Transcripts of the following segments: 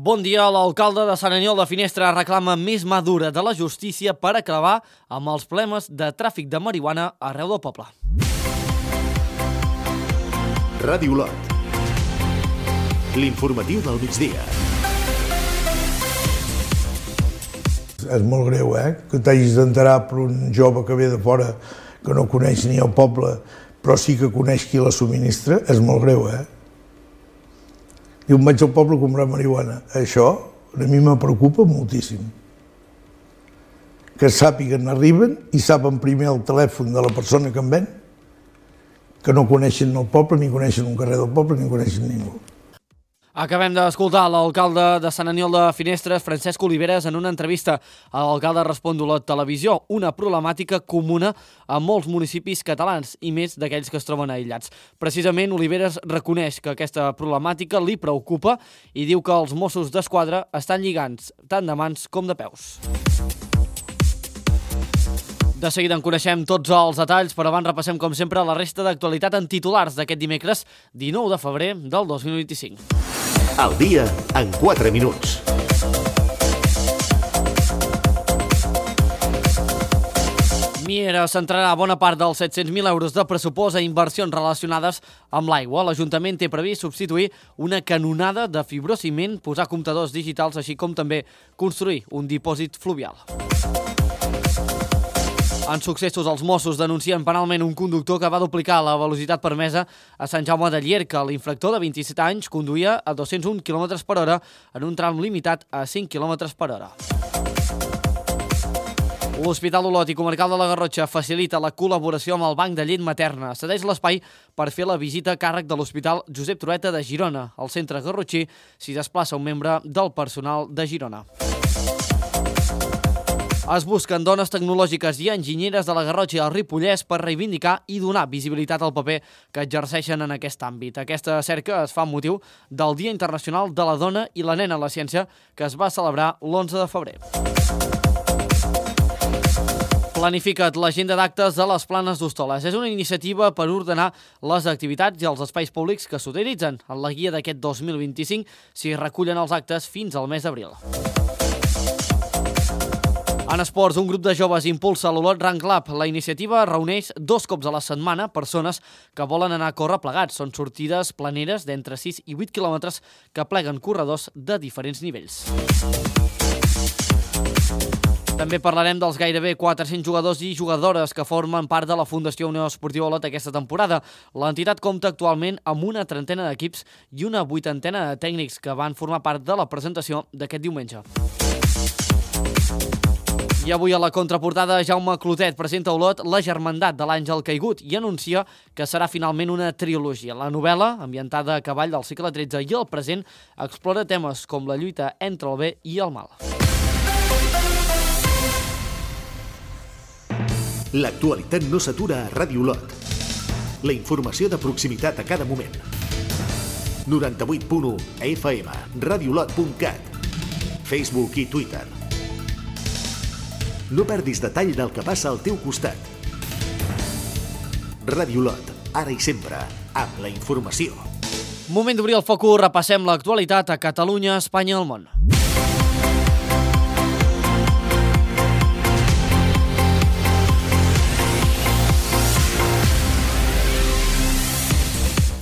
Bon dia. L'alcalde de Sant Aniol de Finestres reclama més mà dura de la justícia per acabar amb els problemes de tràfic de marihuana arreu del poble. Ràdio Olot. L'informatiu del migdia. És molt greu, que t'hagis d'enterar per un jove que ve de fora, que no coneix ni el poble, però sí que coneix qui la subministra. És molt greu, Diu, vaig al poble a comprar marihuana. Això a mi me preocupa moltíssim. Que sàpiguen, arriben i saben primer el telèfon de la persona que en ven, que no coneixen el poble, ni coneixen un carrer del poble, ni coneixen ningú. Acabem d'escoltar l'alcalde de Sant Aniol de Finestres, Francesc Oliveres, en una entrevista a l'alcalde Respon d'Olot Televisió, una problemàtica comuna a molts municipis catalans i més d'aquells que es troben aïllats. Precisament, Oliveres reconeix que aquesta problemàtica li preocupa i diu que els Mossos d'Esquadra estan lligants tant de mans com de peus. De seguida en coneixem tots els detalls, però abans repassem, com sempre, la resta d'actualitat en titulars d'aquest dimecres 19 de febrer del 2025. Al dia en 4 minuts. Miera centrarà bona part dels 700.000 euros de pressupost a inversions relacionades amb l'aigua. L'Ajuntament té previst substituir una canonada de fibrociment, posar comptadors digitals, així com també construir un dipòsit fluvial. En successos, els Mossos denuncien penalment un conductor que va duplicar la velocitat permesa a Sant Jaume de Llierca. L'infractor de 27 anys conduïa a 201 km per hora en un tram limitat a 5 km per hora. L'Hospital Olot i Comarcal de la Garrotxa facilita la col·laboració amb el Banc de Llet Materna. Cedeix l'espai per fer la visita a càrrec de l'Hospital Josep Trueta de Girona. Al centre garrotxí s'hi desplaça un membre del personal de Girona. Es busquen dones tecnològiques i enginyeres de la Garrotxa i el Ripollès per reivindicar i donar visibilitat al paper que exerceixen en aquest àmbit. Aquesta cerca es fa amb motiu del Dia Internacional de la Dona i la Nena a la Ciència, que es va celebrar l'11 de febrer. Planifica't l'agenda d'actes de les Planes d'Hostoles. És una iniciativa per ordenar les activitats i els espais públics que s'utilitzen. En la guia d'aquest 2025 s'hi recullen els actes fins al mes d'abril. En esports, un grup de joves impulsa l'Olot Run Club. La iniciativa reuneix 2 cops a la setmana persones que volen anar a córrer plegats. Són sortides planeres d'entre 6 i 8 quilòmetres que pleguen corredors de diferents nivells. També parlarem dels gairebé 400 jugadors i jugadores que formen part de la Fundació Unió Esportiva Olot aquesta temporada. L'entitat compta actualment amb una trentena d'equips i una 80ena de tècnics que van formar part de la presentació d'aquest diumenge. I avui a la contraportada, Jaume Clotet presenta a Olot La germandat de l'Àngel Caigut i anuncia que serà finalment una trilogia. La novel·la, ambientada a cavall del segle XIII i el present, explora temes com la lluita entre el bé i el mal. L'actualitat no s'atura a Ràdio Olot. La informació de proximitat a cada moment. 98.1 FM, radioolot.cat, Facebook i Twitter. No perdis detall del que passa al teu costat. Ràdio Olot, ara i sempre, amb la informació. Moment d'obrir el focus, repassem l'actualitat a Catalunya, Espanya i el món.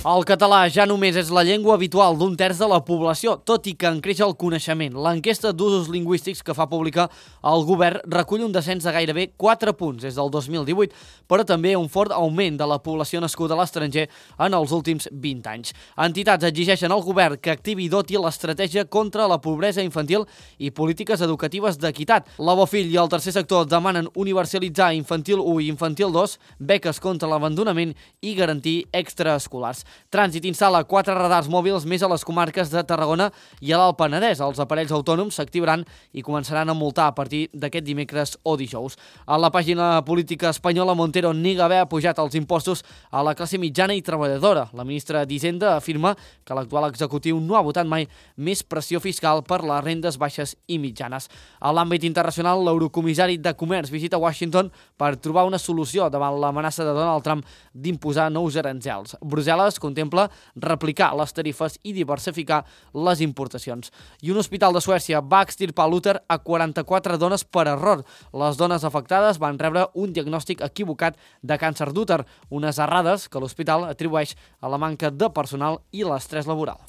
El català ja només és la llengua habitual d'un terç de la població, tot i que en creix el coneixement. L'enquesta d'usos lingüístics que fa pública el govern recull un descens de gairebé 4 punts des del 2018, però també un fort augment de la població nascuda a l'estranger en els últims 20 anys. Entitats exigeixen al govern que activi i doti l'estratègia contra la pobresa infantil i polítiques educatives d'equitat. La Bofill i el tercer sector demanen universalitzar Infantil 1 i Infantil 2, beques contra l'abandonament i garantir extraescolars. Trànsit instal·la 4 radars mòbils més a les comarques de Tarragona i a l'Alt Penedès. Els aparells autònoms s'activaran i començaran a multar a partir d'aquest dimecres o dijous. A la pàgina política espanyola, Montero nega haver pujat els impostos a la classe mitjana i treballadora. La ministra d'Hisenda afirma que l'actual executiu no ha votat mai més pressió fiscal per les rendes baixes i mitjanes. A l'àmbit internacional, l'eurocomissari de Comerç visita Washington per trobar una solució davant l'amenaça de Donald Trump d'imposar nous aranzels. Brussel·les es contempla replicar les tarifes i diversificar les importacions. I un hospital de Suècia va extirpar l'úter a 44 dones per error. Les dones afectades van rebre un diagnòstic equivocat de càncer d'úter, unes errades que l'hospital atribueix a la manca de personal i l'estrès laboral.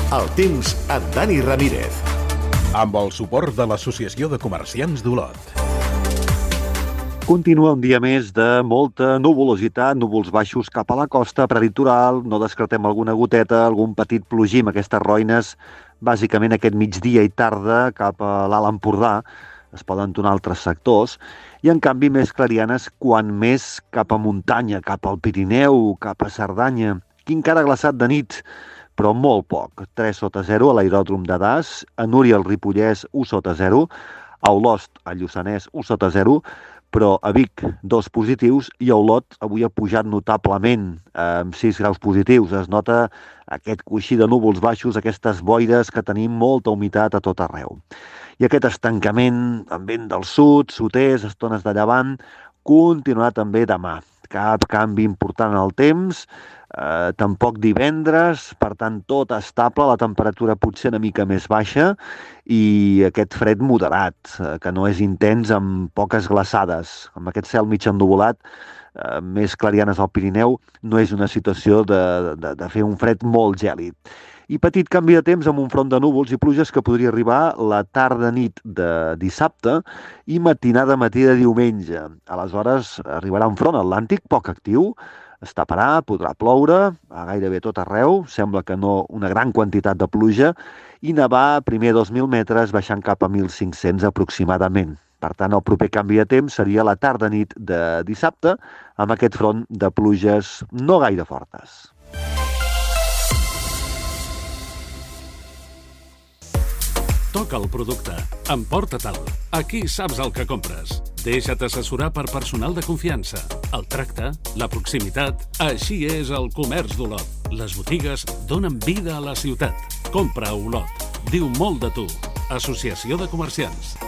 El temps amb Dani Ramírez. Amb el suport de l'Associació de Comerciants d'Olot. Continua un dia més de molta nuvolositat, núvols baixos cap a la costa prelitoral, no descartem alguna goteta, algun petit plogim, aquestes roines, bàsicament aquest migdia i tarda cap a l'Alt Empordà, es poden donar altres sectors, i en canvi més clarianes quan més cap a muntanya, cap al Pirineu, cap a Cerdanya, que encara ha glaçat de nit, però molt poc. 3 sota 0 a l'aeròdrom de Das, a Núria al Ripollès 1 sota 0, a Olost, al Lluçanès 1 sota 0, però a Vic 2 positius i a Olot avui ha pujat notablement amb 6 graus positius. Es nota aquest coixí de núvols baixos, aquestes boires que tenim molta humitat a tot arreu. I aquest estancament amb vent del sud, sud-est, estones de llevant, continuarà també demà. Cap canvi important en el temps, tampoc divendres, per tant tot estable, la temperatura potser una mica més baixa i aquest fred moderat, que no és intens amb poques glaçades. Amb aquest cel mig ennuvolat, més clarianes al Pirineu, no és una situació de fer un fred molt gèlid. I petit canvi de temps amb un front de núvols i pluges que podria arribar la tarda-nit de dissabte i matinada-matí de diumenge. Aleshores arribarà un front atlàntic poc actiu, es taparà, podrà ploure a gairebé tot arreu, sembla que no una gran quantitat de pluja, i nevar primer 2.000 metres baixant cap a 1.500 aproximadament. Per tant, el proper canvi de temps seria la tarda-nit de dissabte amb aquest front de pluges no gaire fortes. Toca el producte. Emporta-te'l. Aquí saps el que compres. Deixa't assessorar per personal de confiança. El tracte, la proximitat... Així és el comerç d'Olot. Les botigues donen vida a la ciutat. Compra a Olot. Diu molt de tu. Associació de Comerciants.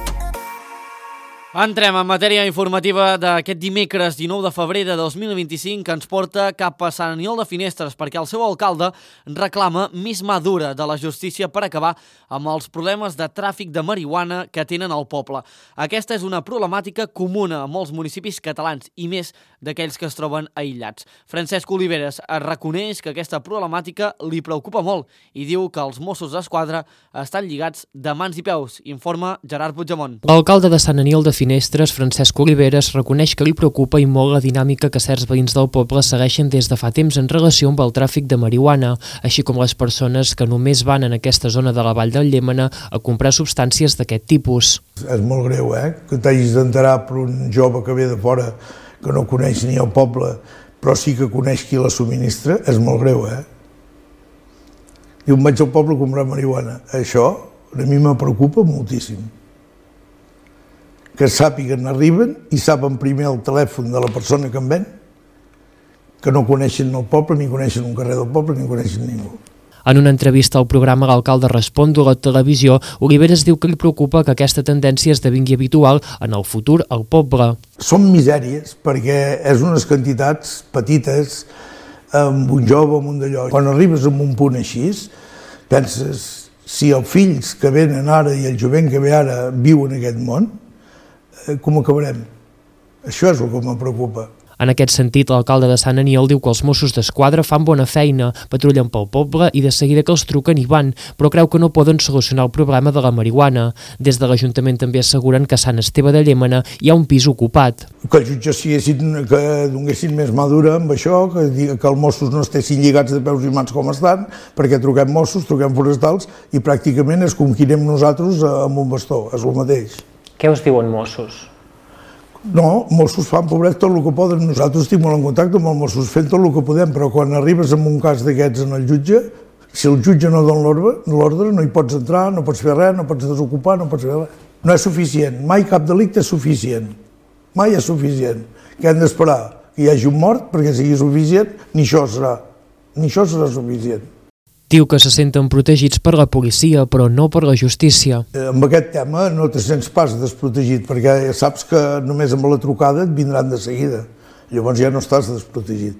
Entrem en matèria informativa d'aquest dimecres 19 de febrer de 2025 que ens porta cap a Sant Aniol de Finestres perquè el seu alcalde reclama més mà dura de la justícia per acabar amb els problemes de tràfic de marihuana que tenen al poble. Aquesta és una problemàtica comuna a molts municipis catalans i més d'aquells que es troben aïllats. Francesc Oliveres reconeix que aquesta problemàtica li preocupa molt i diu que els Mossos d'Esquadra estan lligats de mans i peus, informa Gerard Puigdemont. L'alcalde de Sant Aniol de Finestres, Francesc Oliveres, reconeix que li preocupa i molt la dinàmica que certs veïns del poble segueixen des de fa temps en relació amb el tràfic de marihuana, així com les persones que només van en aquesta zona de la Vall del Llémena a comprar substàncies d'aquest tipus. És molt greu, que t'hagis d'enterar per un jove que ve de fora, que no coneix ni el poble, però sí que coneix qui la subministra, és molt greu, Diu, vaig al poble a comprar marihuana. Això a mi me preocupa moltíssim. Que sàpiguen, arriben i saben primer el telèfon de la persona que en ven, que no coneixen el poble, ni coneixen un carrer del poble, ni coneixen ningú. En una entrevista al programa L'Alcalde Respon de la televisió, Oliveres diu que li preocupa que aquesta tendència esdevingui habitual en el futur al poble. Són misèries, perquè és unes quantitats petites, amb un jove, amb un d'allò. Quan arribes a un punt així, penses, si els fills que venen ara i el jovent que ve ara viu en aquest món, com acabarem? Això és el que me preocupa. En aquest sentit, l'alcalde de Sant Aniol diu que els Mossos d'Esquadra fan bona feina, patrullen pel poble i de seguida que els truquen hi van, però creu que no poden solucionar el problema de la marihuana. Des de l'Ajuntament també asseguren que a Sant Esteve de Llémena hi ha un pis ocupat. Que els jutges que donessin més mà dura amb això, que els Mossos no estessin lligats de peus i mans com estan, perquè truquem Mossos, truquem forestals i pràcticament és com qui anem nosaltres amb un bastó, és el mateix. Què us diuen Mossos? No, Mossos fan, pobret, tot el que poden. Nosaltres estic molt en contacte amb els Mossos, fent tot el que podem, però quan arribes en un cas d'aquests en el jutge, si el jutge no dona l'ordre, no hi pots entrar, no pots fer res, no pots desocupar, no pots fer res. No és suficient, mai cap delicte és suficient, mai és suficient. Que hem d'esperar que hi hagi un mort perquè sigui suficient, ni això serà suficient. Diu que se senten protegits per la policia, però no per la justícia. Amb aquest tema no te sents pas desprotegit, perquè saps que només amb la trucada et vindran de seguida. Llavors ja no estàs desprotegit.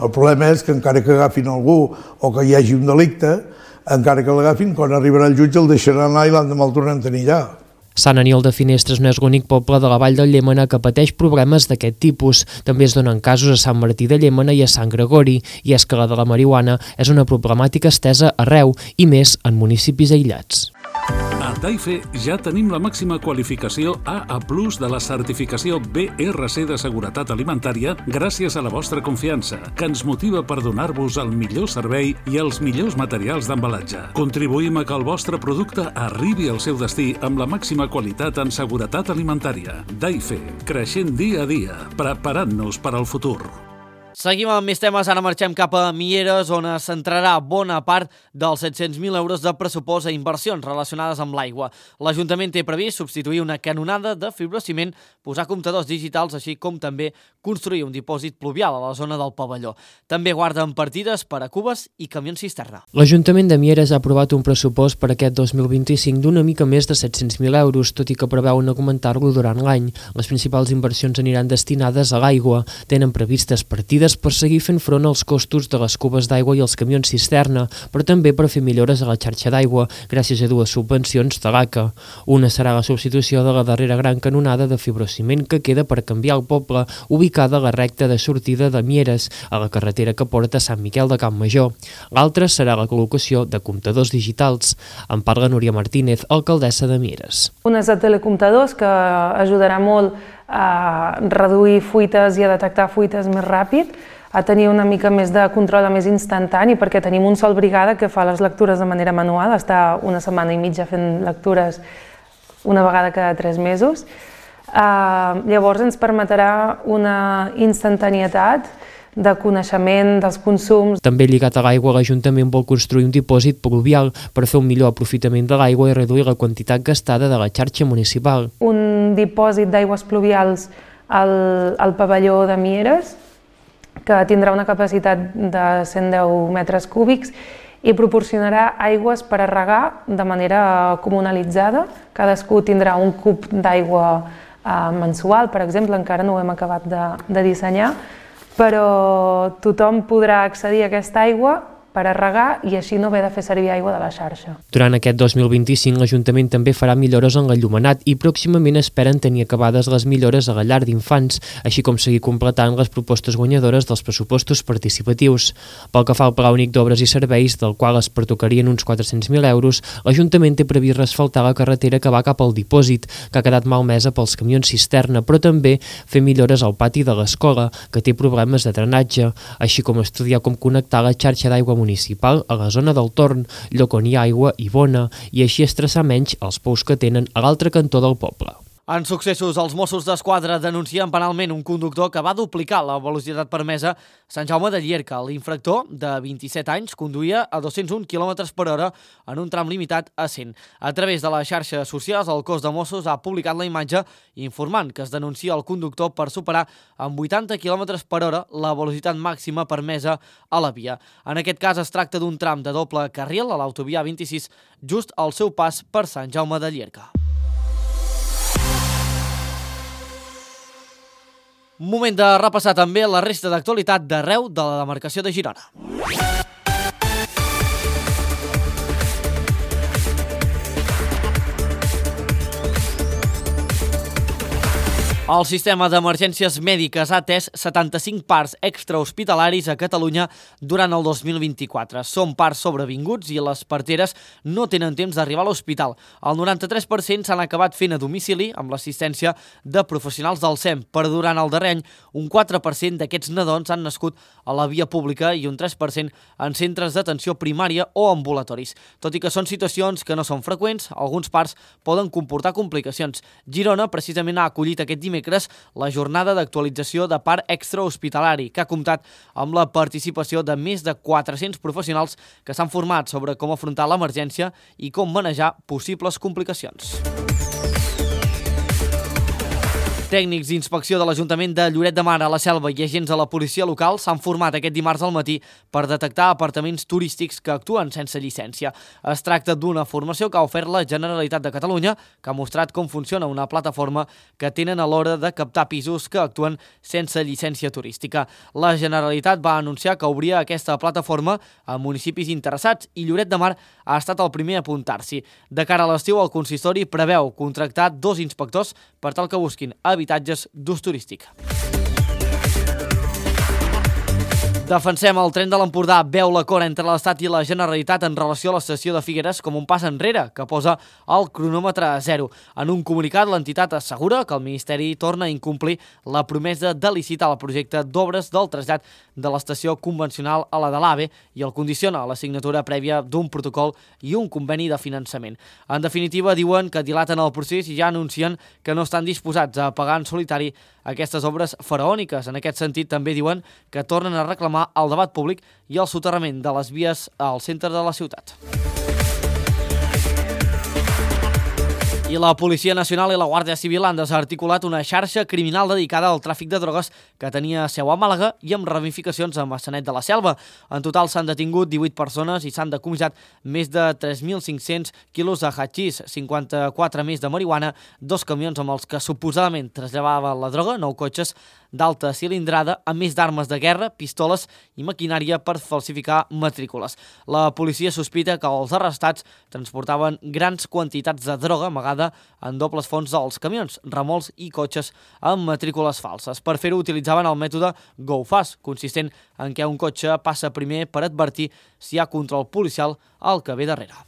El problema és que encara que agafin algú o que hi hagi un delicte, encara que l'agafin, quan arribarà el jutge el deixaran anar i l'endemà el tornen a tenir allà. Sant Aniol de Finestres no és l'únic poble de la Vall del Llémena que pateix problemes d'aquest tipus. També es donen casos a Sant Martí de Llémena i a Sant Gregori, i és que la de la marihuana és una problemàtica estesa arreu, i més en municipis aïllats. A Daife ja tenim la màxima qualificació AA+ de la certificació BRC de seguretat alimentària gràcies a la vostra confiança, que ens motiva per donar-vos el millor servei i els millors materials d'embalatge. Contribuïm a que el vostre producte arribi al seu destí amb la màxima qualitat en seguretat alimentària. Daife, creixent dia a dia, preparant-nos per al futur. Seguim amb més temes, ara marxem cap a Mieres, on es centrarà bona part dels 700.000 euros de pressupost a inversions relacionades amb l'aigua. L'Ajuntament té previst substituir una canonada de fibrociment, posar comptadors digitals, així com també construir un dipòsit pluvial a la zona del pavelló. També guarden partides per a cubes i camions cisterna. L'Ajuntament de Mieres ha aprovat un pressupost per aquest 2025 d'una mica més de 700.000 euros, tot i que preveuen augmentar-lo durant l'any. Les principals inversions aniran destinades a l'aigua. Tenen previstes partides per seguir fent front als costos de les cubes d'aigua i els camions cisterna, però també per fer millores a la xarxa d'aigua, gràcies a dues subvencions de l'ACA. Una serà la substitució de la darrera gran canonada de fibrociment que queda per canviar el poble, ubicada a la recta de sortida de Mieres, a la carretera que porta a Sant Miquel de Campmajor. L'altra serà la col·locació de comptadors digitals. En parla Núria Martínez, alcaldessa de Mieres. Unes de telecomptadors que ajudarà molt a reduir fuites i a detectar fuites més ràpid, a tenir una mica més de control més instantani, perquè tenim un sol brigada que fa les lectures de manera manual, està una setmana i mitja fent lectures una vegada cada 3 mesos. Llavors ens permetrà una instantanietat de coneixement dels consums. També lligat a l'aigua, l'Ajuntament vol construir un dipòsit pluvial per fer un millor aprofitament de l'aigua i reduir la quantitat gastada de la xarxa municipal. Un dipòsit d'aigües pluvials al pavelló de Mieres, que tindrà una capacitat de 110 metres cúbics i proporcionarà aigües per a regar de manera comunalitzada. Cadascú tindrà un cub d'aigua mensual, per exemple, encara no ho hem acabat de dissenyar, però tothom podrà accedir a aquesta aigua per a regar i així no haver de fer servir aigua de la xarxa. Durant aquest 2025 l'Ajuntament també farà millores en l'enllumenat i pròximament esperen tenir acabades les millores a la llar d'infants, així com seguir completant les propostes guanyadores dels pressupostos participatius. Pel que fa al Pla Únic d'Obres i Serveis, del qual es pertocarien uns 400.000 euros, l'Ajuntament té previst resfaltar la carretera que va cap al dipòsit, que ha quedat malmesa pels camions cisterna, però també fer millores al pati de l'escola, que té problemes de drenatge, així com estudiar com connectar la xarxa d'aigua municipal a la zona del Torn, lloc on hi ha aigua i bona, i així estressar menys els pous que tenen a l'altre cantó del poble. En successos, els Mossos d'Esquadra denuncien penalment un conductor que va duplicar la velocitat permesa a Sant Jaume de Llierca. L'infractor, de 27 anys, conduïa a 201 km/h en un tram limitat a 100. A través de les xarxes socials, el cos de Mossos ha publicat la imatge informant que es denuncia el conductor per superar amb 80 km/h la velocitat màxima permesa a la via. En aquest cas es tracta d'un tram de doble carril a l'autovia 26, just al seu pas per Sant Jaume de Llierca. Moment de repassar també la resta d'actualitat d'arreu de la demarcació de Girona. El sistema d'emergències mèdiques ha atès 75 parts extrahospitalaris a Catalunya durant el 2024. Són parts sobrevinguts i les parteres no tenen temps d'arribar a l'hospital. El 93% s'han acabat fent a domicili amb l'assistència de professionals del SEM, però durant el darrer any un 4% d'aquests nadons han nascut a la via pública i un 3% en centres d'atenció primària o ambulatoris. Tot i que són situacions que no són freqüents, alguns parts poden comportar complicacions. Girona precisament ha acollit aquest dimecres la jornada d'actualització de part extrahospitalari, que ha comptat amb la participació de més de 400 professionals que s'han format sobre com afrontar l'emergència i com manejar possibles complicacions. Tècnics d'inspecció de l'Ajuntament de Lloret de Mar a la Selva i agents de la policia local s'han format aquest dimarts al matí per detectar apartaments turístics que actuen sense llicència. Es tracta d'una formació que ha ofert la Generalitat de Catalunya, que ha mostrat com funciona una plataforma que tenen a l'hora de captar pisos que actuen sense llicència turística. La Generalitat va anunciar que obria aquesta plataforma a municipis interessats i Lloret de Mar ha estat el primer a apuntar-s'hi. De cara a l'estiu, el consistori preveu contractar 2 inspectors per tal que busquin habitatges d'ús turístic. Defensem el tren de l'Empordà, veu l'acord entre l'Estat i la Generalitat en relació a l'estació de Figueres com un pas enrere que posa el cronòmetre a 0. En un comunicat, l'entitat assegura que el Ministeri torna a incomplir la promesa de licitar el projecte d'obres del trasllat de l'estació convencional a la de l'AVE i el condiciona a la signatura prèvia d'un protocol i un conveni de finançament. En definitiva, diuen que dilaten el procés i ja anuncien que no estan disposats a pagar en solitari aquestes obres faraòniques. En aquest sentit, també diuen que tornen a reclamar el debat públic i el soterrament de les vies al centre de la ciutat. I la Policia Nacional i la Guàrdia Civil han desarticulat una xarxa criminal dedicada al tràfic de drogues que tenia seu a Màlaga i amb ramificacions a Maçanet de la Selva. En total s'han detingut 18 persones i s'han decomissat més de 3.500 quilos de hachís, 54 més de marihuana, 2 camions amb els que suposadament traslladava la droga, 9 cotxes d'alta cilindrada, a més d'armes de guerra, pistoles i maquinària per falsificar matrícules. La policia sospita que els arrestats transportaven grans quantitats de droga amagada en dobles fons dels camions, remolcs i cotxes amb matrícules falses. Per fer-ho utilitzaven el mètode Go Fast, consistent en què un cotxe passa primer per advertir si hi ha control policial al que ve darrere.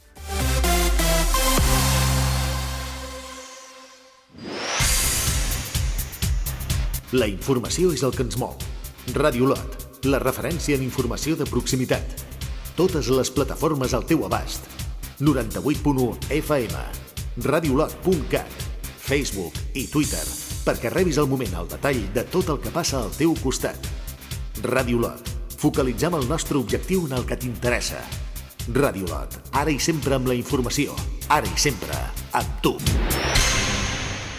La informació és el que ens mou. Ràdio Lot, la referència en informació de proximitat. Totes les plataformes al teu abast. 98.1 FM, radiolot.cat, Facebook i Twitter, perquè rebis al moment el detall de tot el que passa al teu costat. Ràdio Lot, focalitzem el nostre objectiu en el que t'interessa. Ràdio Lot, ara i sempre amb la informació, ara i sempre amb tu.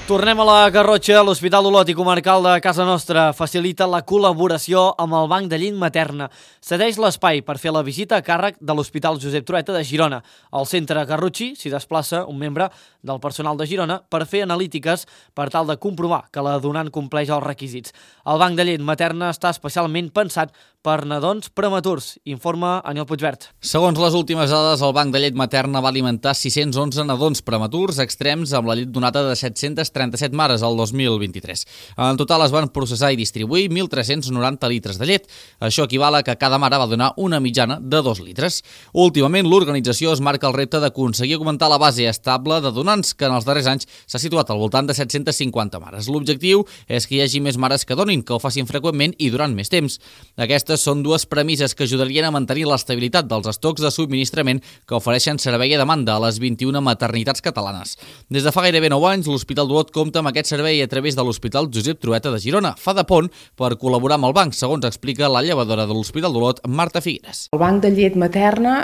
Tornem a la Garrotxa. L'Hospital Olot i Comarcal de Casa Nostra facilita la col·laboració amb el Banc de Llet Materna. Cedeix l'espai per fer la visita a càrrec de l'Hospital Josep Trueta de Girona. Al centre Garrotxí s'hi desplaça un membre del personal de Girona per fer analítiques per tal de comprovar que la donant compleix els requisits. El Banc de Llet Materna està especialment pensat per nadons prematurs, informa Aniol Puigvert. Segons les últimes dades, el Banc de Llet Materna va alimentar 611 nadons prematurs extrems amb la llet donada de 737 mares al 2023. En total es van processar i distribuir 1.390 litres de llet. Això equival a que cada mare va donar una mitjana de 2 litres. Últimament, l'organització es marca el repte d'aconseguir augmentar la base estable de donants, que en els darrers anys s'ha situat al voltant de 750 mares. L'objectiu és que hi hagi més mares que donin, que ho facin freqüentment i durant més temps. Aquestes són dues premisses que ajudarien a mantenir l'estabilitat dels estocs de subministrament que ofereixen servei a demanda a les 21 maternitats catalanes. Des de fa gairebé 9 anys, l'Hospital d'Olot compta amb aquest servei a través de l'Hospital Josep Trueta de Girona. Fa de pont per col·laborar amb el banc, segons explica la llevadora de l'Hospital d'Olot, Marta Figueres. El banc de llet materna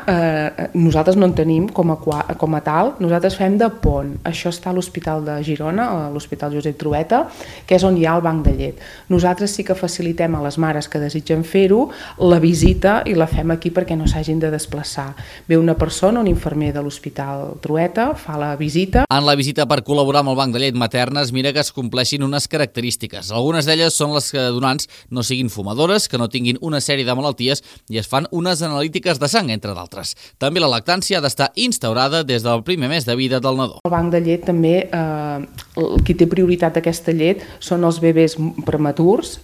nosaltres no en tenim com a tal, nosaltres fem de pont. Això està a l'Hospital de Girona, a l'Hospital Josep Trueta, que és on hi ha el banc de llet. Nosaltres sí que facilitem a les mares que desitgen fer-ho la visita i la fem aquí perquè no s'hagin de desplaçar. Ve una persona, un infermer de l'Hospital Trueta, fa la visita. En la visita per col·laborar amb el banc de llet materna es mira que es compleixin unes característiques. Algunes d'elles són les que donants no siguin fumadores, que no tinguin una sèrie de malalties i es fan unes analítiques de sang, entre d'altres. També la lactància ha d'estar instaurada des del primer mes de vida del nadó. El banc de llet també, qui té prioritat aquesta llet són els bebès prematurs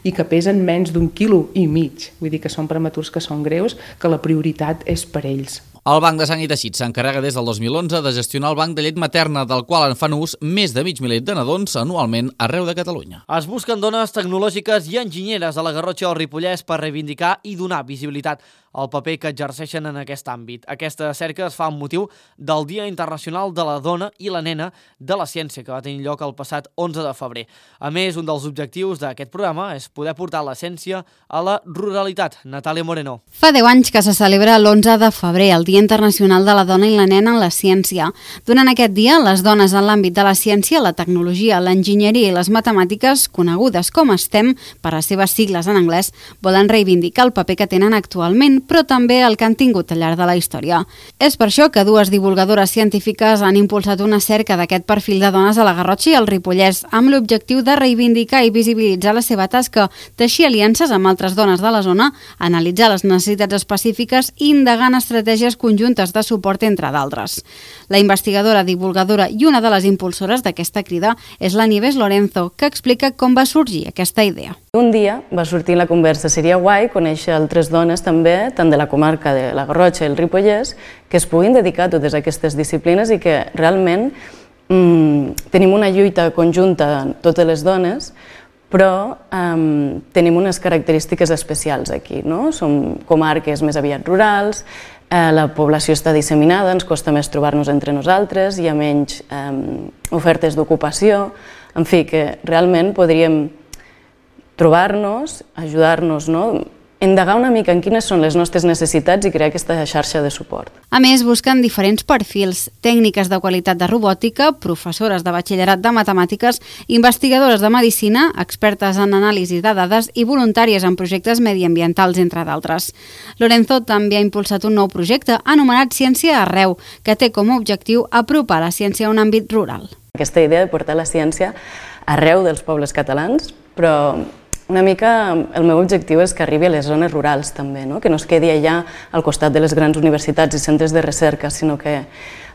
i que pesen menys d'1,5 quilo. Vull dir que són prematurs que són greus, que la prioritat és per ells. El Banc de Sang i Teixits s'encarrega des del 2011 de gestionar el banc de llet materna, del qual en fan ús més de mig miler de nadons anualment arreu de Catalunya. Es busquen dones tecnològiques i enginyeres a la Garrotxa o al Ripollès per reivindicar i donar visibilitat al paper que exerceixen en aquest àmbit. Aquesta cerca es fa amb motiu del Dia Internacional de la Dona i la Nena de la Ciència, que va tenir lloc el passat 11 de febrer. A més, un dels objectius d'aquest programa és poder portar la ciència a la ruralitat. Natàlia Moreno. Fa 10 anys que se celebra l'11 de febrer, el Dia Dia Internacional de la Dona i la Nena en la Ciència. Durant aquest dia, les dones en l'àmbit de la ciència, la tecnologia, l'enginyeria i les matemàtiques, conegudes com STEM, per les seves sigles en anglès, volen reivindicar el paper que tenen actualment, però també el que han tingut al llarg de la història. És per això que dues divulgadores científiques han impulsat una cerca d'aquest perfil de dones a la Garrotxa i al Ripollès, amb l'objectiu de reivindicar i visibilitzar la seva tasca, teixir aliances amb altres dones de la zona, analitzar les necessitats específiques i indagar en estratègies conjuntes de suport, entre d'altres. La investigadora, divulgadora i una de les impulsores d'aquesta crida és la Nieves Lorenzo, que explica com va sorgir aquesta idea. Un dia va sortir la conversa, seria guai conèixer altres dones també, tant de la comarca de la Garrotxa i el Ripollès, que es puguin dedicar a totes aquestes disciplines i que realment tenim una lluita conjunta totes les dones, però tenim unes característiques especials aquí, no? Som comarques més aviat rurals, la població està disseminada, ens costa més trobar-nos entre nosaltres, hi ha menys ofertes d'ocupació, en fi, que realment podríem trobar-nos, ajudar-nos, no? Indagar una mica en quines són les nostres necessitats i crear aquesta xarxa de suport. A més, busquen diferents perfils, tècniques de qualitat de robòtica, professores de batxillerat de matemàtiques, investigadores de medicina, expertes en anàlisi de dades i voluntàries en projectes mediambientals, entre d'altres. Lorenzo també ha impulsat un nou projecte anomenat Ciència Arreu, que té com a objectiu apropar la ciència a un àmbit rural. Aquesta idea de portar la ciència arreu dels pobles catalans, però una mica el meu objectiu és que arribi a les zones rurals també, que no es quedi allà al costat de les grans universitats i centres de recerca, sinó que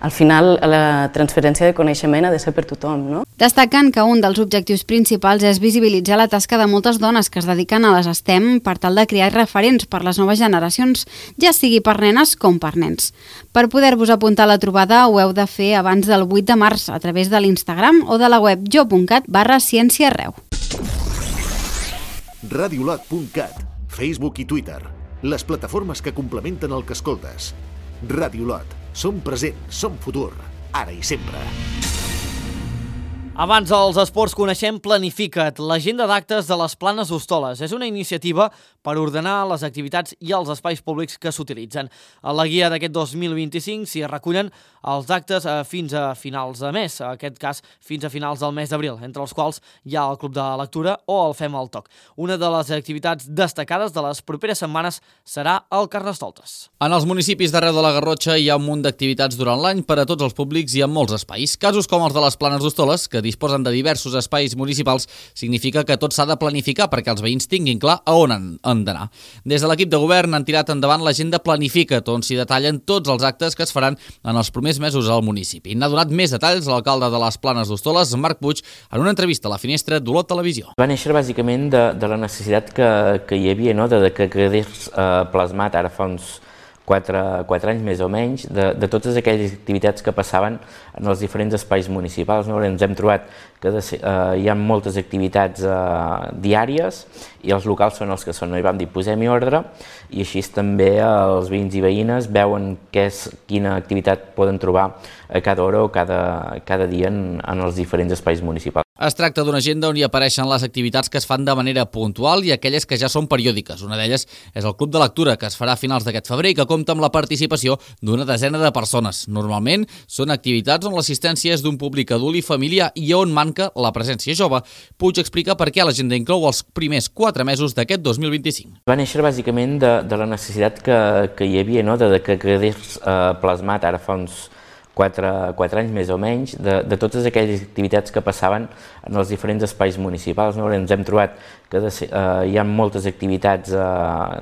al final la transferència de coneixement ha de ser per tothom. Destaquen que un dels objectius principals és visibilitzar la tasca de moltes dones que es dediquen a les STEM per tal de crear referents per les noves generacions, ja sigui per nenes com per nens. Per poder-vos apuntar a la trobada ho heu de fer abans del 8 de març a través de l'Instagram o de la web jo.cat/cienciaarreu. Radiolot.cat, Facebook i Twitter, les plataformes que complementen el que escoltes. Radiolot, som present, som futur, ara i sempre. Abans dels esports coneixem Planifica't, l'agenda d'actes de les Planes d'Hostoles. És una iniciativa per ordenar les activitats i els espais públics que s'utilitzen. A la guia d'aquest 2025 s'hi recullen els actes fins a finals de mes, en aquest cas fins a finals del mes d'abril, entre els quals hi ha el Club de Lectura o el Fem al Toc. Una de les activitats destacades de les properes setmanes serà el Carnestoltes. En els municipis d'arreu de la Garrotxa hi ha un munt d'activitats durant l'any per a tots els públics i en molts espais. Casos com els de les Planes d'Hostoles, que disposen de diversos espais municipals, significa que tot s'ha de planificar perquè els veïns tinguin clar a on han d'anar. Des de l'equip de govern han tirat endavant l'agenda Planifica't, on s'hi detallen tots els actes que es faran en els primers mesos al municipi. N'ha donat més detalls l'alcalde de les Planes d'Hostoles, Marc Puig, en una entrevista a la Finestra d'Olot Televisió. Va néixer bàsicament de la necessitat que hi havia, de que quedés plasmat ara fa uns 4 anys més o menys, de totes aquelles activitats que passaven en els diferents espais municipals. Ens hem trobat que hi ha moltes activitats diàries i els locals són els que són. I vam dir, posem-hi ordre, i així també els veïns i veïnes veuen quina activitat poden trobar a cada hora o cada dia en els diferents espais municipals. Es tracta d'una agenda on hi apareixen les activitats que es fan de manera puntual i aquelles que ja són periòdiques. Una d'elles és el Club de Lectura, que es farà a finals d'aquest febrer i que compta amb la participació d'una desena de persones. Normalment són activitats on l'assistència és d'un públic adult i familiar i on manca la presència jove. Puig explica per què l'agenda inclou els primers 4 mesos d'aquest 2025. Va néixer bàsicament de la necessitat que hi havia, de que quedés plasmat ara fa uns 4 anys més o menys, de totes aquelles activitats que passaven en els diferents espais municipals. Ens hem trobat que hi ha moltes activitats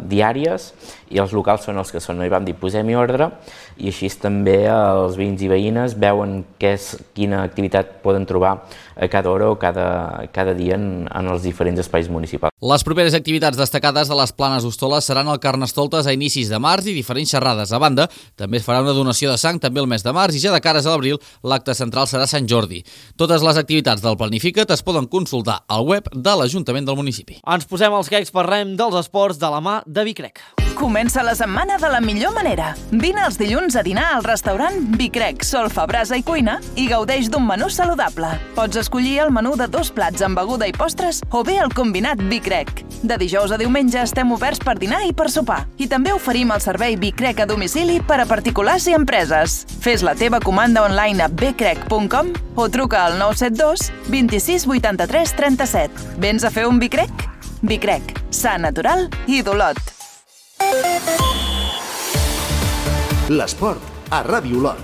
diàries i els locals són els que són. I vam dir, posem-hi ordre, i així també els veïns i veïnes veuen quina activitat poden trobar a cada hora o cada dia en els diferents espais municipals. Les properes activitats destacades de les Planes d'Hostoles seran el Carnestoltes a inicis de març i diferents xerrades. A banda, també es farà una donació de sang també el mes de març i ja de cares a l'abril l'acte central serà Sant Jordi. Totes les activitats del Planifica't es poden consultar al web de l'Ajuntament del municipi. Ens posem els grecs, parlem dels esports de la mà de Vicrec. Comença la setmana de la millor manera. Vine els dilluns a dinar al restaurant Vicrec, Solfa, Brasa i Cuina i gaudeix d'un menú saludable. Pots escollir el menú de 2 plats amb beguda i postres o bé el combinat Vicrec. De dijous a diumenge estem oberts per dinar i per sopar. I també oferim el servei Bicrec a domicili per a particulars i empreses. Fes la teva comanda online a bcrec.com o truca al 972 26 83 37. Vens a fer un Bicrec? Bicrec, sa natural i d'Olot. L'esport a Ràdio Olot.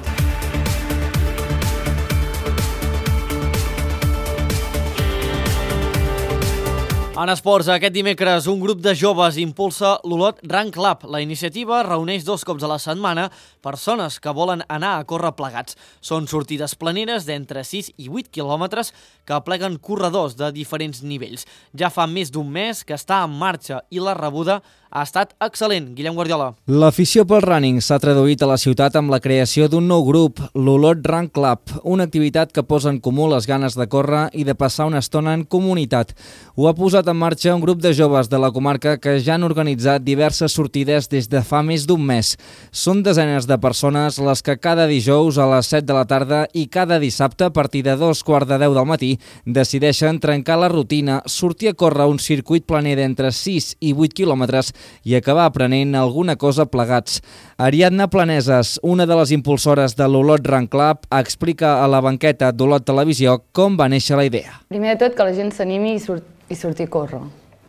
En esports, aquest dimecres, un grup de joves impulsa l'Olot Run Club. La iniciativa reuneix 2 cops a la setmana persones que volen anar a córrer plegats. Són sortides planeres d'entre 6 i 8 quilòmetres que apleguen corredors de diferents nivells. Ja fa més d'un mes que està en marxa i la rebuda ha estat excel·lent. Guillem Guardiola. L'afició pel running s'ha traduït a la ciutat amb la creació d'un nou grup, l'Olot Run Club, una activitat que posa en comú les ganes de córrer i de passar una estona en comunitat. Ho ha posat en marxa un grup de joves de la comarca que ja han organitzat diverses sortides des de fa més d'un mes. Són desenes de persones les que cada dijous a les 7 de la tarda i cada dissabte a partir de 2:45 del matí decideixen trencar la rutina, sortir a córrer un circuit planer d'entre 6 i 8 quilòmetres i acabar aprenent alguna cosa plegats. Ariadna Planeses, una de les impulsores de l'Olot Run Club, explica a la banqueta d'Olot Televisió com va néixer la idea. Primer de tot, que la gent s'animi i surti a córrer.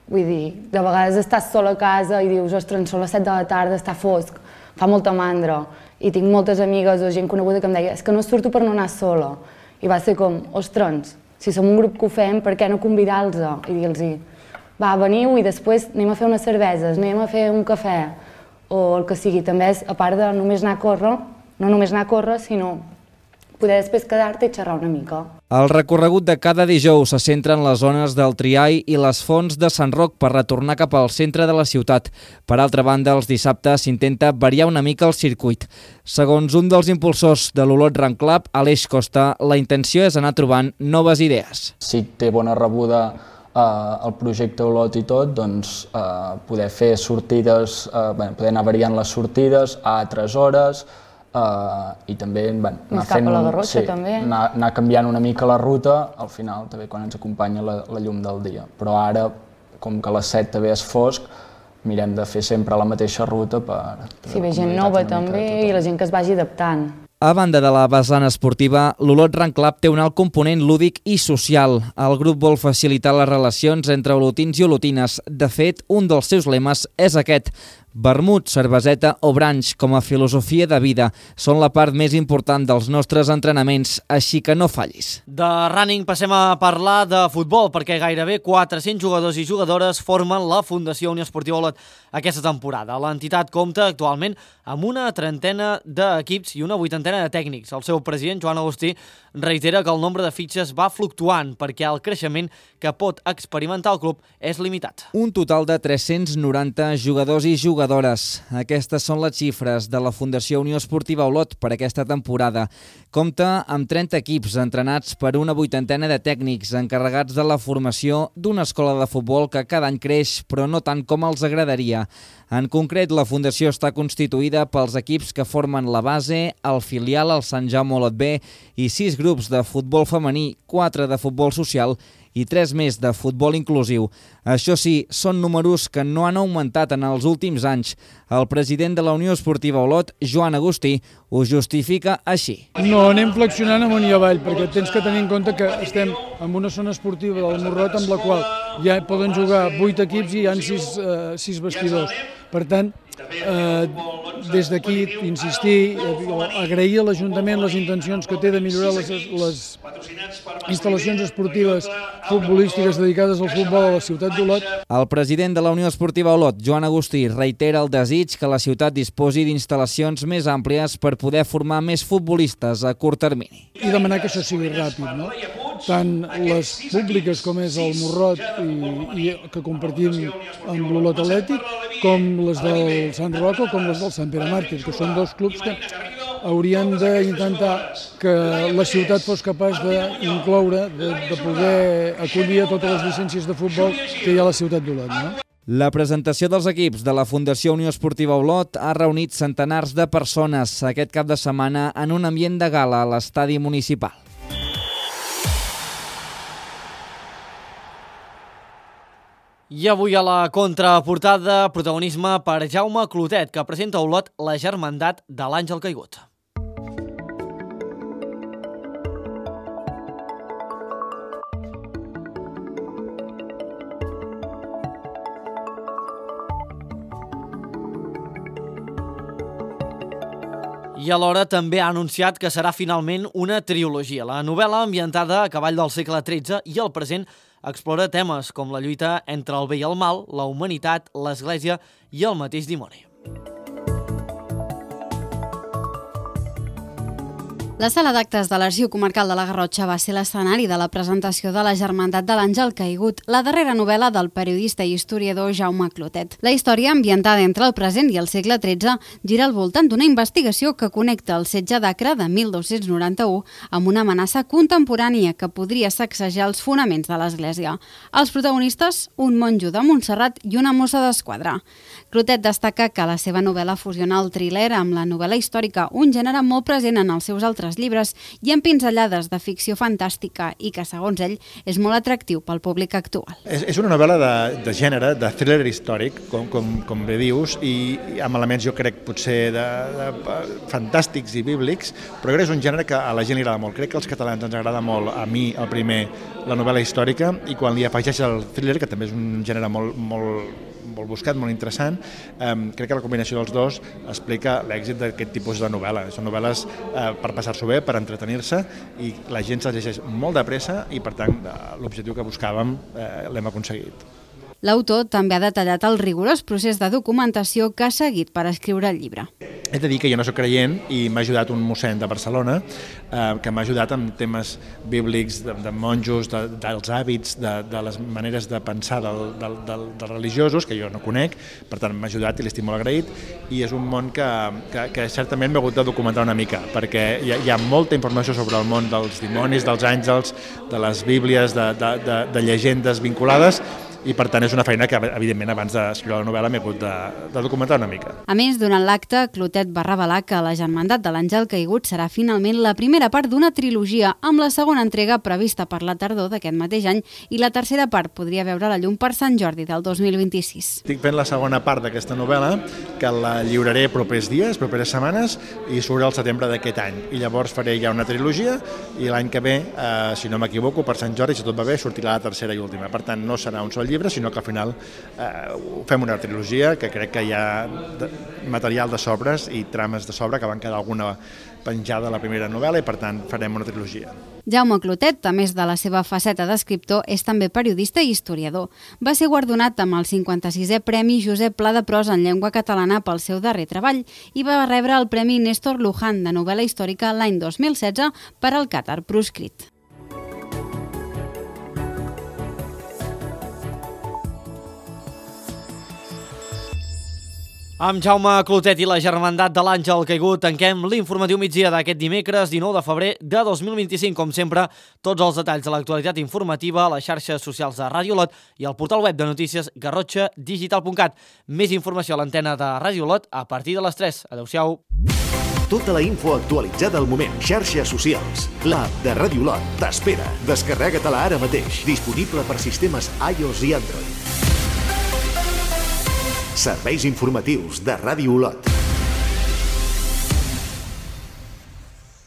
Vull dir, de vegades estàs sol a casa i dius, ostres, són les 7 de la tarda, està fosc, fa molta mandra. I tinc moltes amigues o gent coneguda que em deia, és que no surto per no anar sola. I va ser com, ostres, si som un grup que ho fem, per què no convidar-los i dir-los, va, veniu i després anem a fer unes cerveses, anem a fer un cafè, o el que sigui. També és, a part de només anar a córrer, no només anar a córrer, sinó poder després quedar-te i xerrar una mica. El recorregut de cada dijous se centra en les zones del Triai i les fonts de Sant Roc per retornar cap al centre de la ciutat. Per altra banda, els dissabtes s'intenta variar una mica el circuit. Segons un dels impulsors de l'Olot Run Club, Aleix Costa, la intenció és anar trobant noves idees. Si té bona rebuda el projecte Olot i tot, doncs poder fer sortides, poder anar variant les sortides a altres hores, i també anar canviant una mica la ruta, al final també quan ens acompanya la llum del dia. Però ara, com que a les 7 també és fosc, mirem de fer sempre la mateixa ruta per... Si ve gent nova també i la gent que es vagi adaptant. A banda de la vessant esportiva, l'Olot Run Club té un alt component lúdic i social. El grup vol facilitar les relacions entre olotins i olotines. De fet, un dels seus lemes és aquest: vermut, cerveseta o branch com a filosofia de vida són la part més important dels nostres entrenaments, així que no fallis. De running passem a parlar de futbol, perquè gairebé 400 jugadors i jugadores formen la Fundació Unió Esportiva Olot aquesta temporada. L'entitat compta actualment amb una 30 d'equips i una 80 de tècnics. El seu president, Joan Agustí, reitera que el nombre de fitxes va fluctuant perquè el creixement que pot experimentar el club és limitat. Un total de 390 jugadors i jugadores. Aquestes són les xifres de la Fundació Unió Esportiva Olot per aquesta temporada. Compta amb 30 equips entrenats per una 80 de tècnics encarregats de la formació d'una escola de futbol que cada any creix, però no tant com els agradaria. En concret, la Fundació està constituïda pels equips que formen la base, el filial, el Sant Jaume Olot B i 6 grups de futbol femení, 4 de futbol social i 3 més de futbol inclusiu. Això sí, són números que no han augmentat en els últims anys. El president de la Unió Esportiva Olot, Joan Agustí, ho justifica així. No, anem flexionant amunt i avall, perquè tens que tenir en compte que estem en una zona esportiva del Morrot amb la qual ja poden jugar 8 equips i hi ha 6 vestidors. Per tant, des d'aquí insistir, agrair a l'Ajuntament les intencions que té de millorar les instal·lacions esportives futbolístiques dedicades al futbol a la ciutat d'Olot. El president de la Unió Esportiva Olot, Joan Agustí, reitera el desig que la ciutat disposi d'instal·lacions més àmplies per poder formar més futbolistes a curt termini. I demanar que això sigui ràpid, no? Tant les públiques com és el Morrot i que compartim amb l'Olot Atlètic, com les del Sant Roc o com les del Sant Pere Màrtir, que són 2 clubs que haurien d'intentar que la ciutat fos capaç d'incloure, de poder acollir a totes les llicències de futbol que hi ha a la ciutat d'Olot, no? La presentació dels equips de la Fundació Unió Esportiva Olot ha reunit centenars de persones aquest cap de setmana en un ambient de gala a l'estadi municipal. I avui a la contraportada, protagonisme per Jaume Clotet, que presenta a Olot la Germandat de l'Àngel Caigut. I alhora també ha anunciat que serà finalment una trilogia. La novel·la, ambientada a cavall del segle XIII i el present, explora temes com la lluita entre el bé i el mal, la humanitat, l'Església i el mateix dimoni. La sala d'actes de l'Arxiu Comarcal de la Garrotxa va ser l'escenari de la presentació de la Germandat de l'Àngel Caigut, la darrera novel·la del periodista i historiador Jaume Clotet. La història, ambientada entre el present i el segle XIII, gira al voltant d'una investigació que connecta el setge d'Acre de 1291 amb una amenaça contemporània que podria sacsejar els fonaments de l'Església. Els protagonistes, un monjo de Montserrat i una mossa d'esquadra. Clotet destaca que la seva novel·la fusiona el thriller amb la novel·la històrica, un gènere molt present en els seus altres llibres i amb pinzellades de ficció fantàstica i que, segons ell, és molt atractiu pel públic actual. És una novel·la de gènere, de thriller històric, com bé dius, i amb elements, jo crec, potser de fantàstics i bíblics, però crec que és un gènere que a la gent li agrada molt. Crec que als catalans ens agrada molt, a mi, el primer, la novel·la històrica, i quan li afegeix el thriller, que també és un gènere molt buscat, molt interessant, crec que la combinació dels dos explica l'èxit d'aquest tipus de novel·la. Són novel·les per passar-s'ho bé, per entretenir-se, i la gent se'ls llegeix molt de pressa i, per tant, l'objectiu que buscàvem l'hem aconseguit. L'autor també ha detallat el rigorós procés de documentació que ha seguit per escriure el llibre. He de dir que jo no soc creient i m'ha ajudat un mossèn de Barcelona que m'ha ajudat amb temes bíblics, de monjos, dels hàbits, de les maneres de pensar dels religiosos, que jo no conec, per tant m'ha ajudat i l'estic molt agraït, i és un món que certament m'he hagut de documentar una mica, perquè hi ha molta informació sobre el món dels dimonis, dels àngels, de les bíblies, de llegendes vinculades, i per tant és una feina que, evidentment, abans d'escriure la novel·la m'he hagut de documentar una mica. A més, durant l'acte, Clotet va revelar que la Germandat de l'Àngel Caigut serà finalment la primera part d'una trilogia, amb la segona entrega prevista per la tardor d'aquest mateix any, i la tercera part podria veure la llum per Sant Jordi del 2026. Estic fent la segona part d'aquesta novel·la, que la lliuraré propers dies, properes setmanes, i surt al setembre d'aquest any. I llavors faré ja una trilogia, i l'any que ve, si no m'equivoco, per Sant Jordi, si tot va bé, sortirà la tercera i última. Per tant, no serà un sol llibre, sinó que al final fem una trilogia, que crec que hi ha material de sobres i trames de sobre, que van quedar alguna penjada a la primera novel·la, i per tant farem una trilogia. Jaume Clotet, a més de la seva faceta d'escriptor, és també periodista i historiador. Va ser guardonat amb el 56è Premi Josep Pla de Prosa en llengua catalana pel seu darrer treball i va rebre el Premi Néstor Luján de novel·la històrica l'any 2016 per al Càtar proscrit. Amb Jaume Clotet i la Germandat de l'Àngel Caigut tanquem l'informatiu migdia d'aquest dimecres 19 de febrer de 2025. Com sempre, tots els detalls de l'actualitat informativa a les xarxes socials de Ràdio Olot i al portal web de notícies garrotxadigital.cat. Més informació a l'antena de Ràdio Olot a partir de les 3. Adéu-siau. Tota la info actualitzada al moment. Xarxes socials. L'app de Ràdio Olot t'espera. Descarrega-te-la ara mateix. Disponible per sistemes iOS i Android. Serveis informatius de Ràdio Olot.